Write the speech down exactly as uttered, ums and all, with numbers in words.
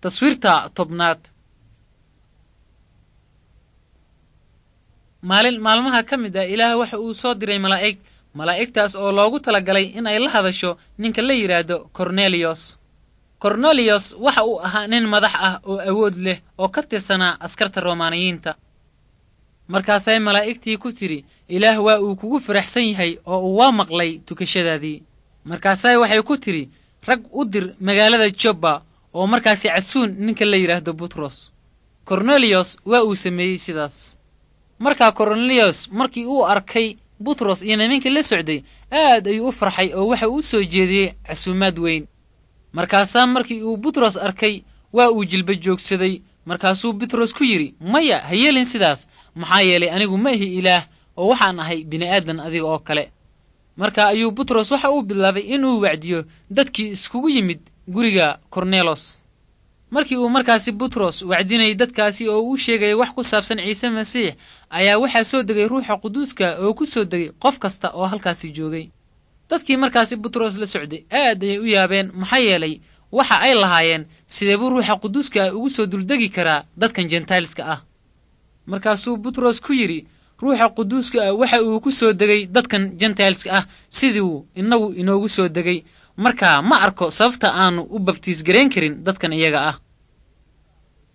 Taswiirta tobnaad. Maalin maalmaha ka mid ah, Ilaah waxa uu soo diray malaa'ig, malaa'igtaas oo loogu talagalay in ay la hadasho ninka la yidhaahdo Korneliyos. Korneliyos waxa uu ahaa nin madax ah oo awood leh oo ka tirsanaa askarta Romaaniyiinta. Markaasay malaa'igtii ku tidhi, Ilaah waa uu kugu faraxsan yahay oo uu waa maqlay tukashadaadii. Markaasay waxay ku tidhi, rag u dir magaalada Joppa oo markaasi casuun ninka la yidhaahdo Butros. Korneliyos waa uu sameeyey sidaas. Markaa Korneliyos markii uu arkay Butros iyo nimankii la socday, aad ayuu u farxay oo waxa uu soo jeediyey casuumaad weyn. Markaasaa markii uu Butros arkay, waa uu jilba joogsaday. Markaasuu Butros ku yidhi, maya, ha yeelin sidaas, maxaa yeelay anigu ma ihi Ilaah oo waxaan ahay bini'aadan adiga oo kale. Marka ayuu Butros waxa uu bilaabay inuu wacdiyo dadkii iskugu yimid guriga Kornelos. Markii uu markaasi Butros wacdinayay dadkaasi oo uu sheegayay wax ku saabsan Ciise Masiix, ayaa waxaa soo degay Ruuxa Quduuska oo ku soo degay qof kasta oo halkaasi joogay. Dadkii markaasi Butros la socday aad ayay u yaabeen, maxaa yeelay waxa ay lahaayeen, sidee buu Ruuxa Quduuska ugu soo duldegi karaa dadkan jentailska ah? Markaasuu Butros ku yidhi, Ruuxa Quduuska ah waxa uu ku soo degay dadkan jentailska ah siduu innagu inoogu soo degay. Markaa ma arko sababta aanu u babtiis garayn karin dadkan iyaga ah.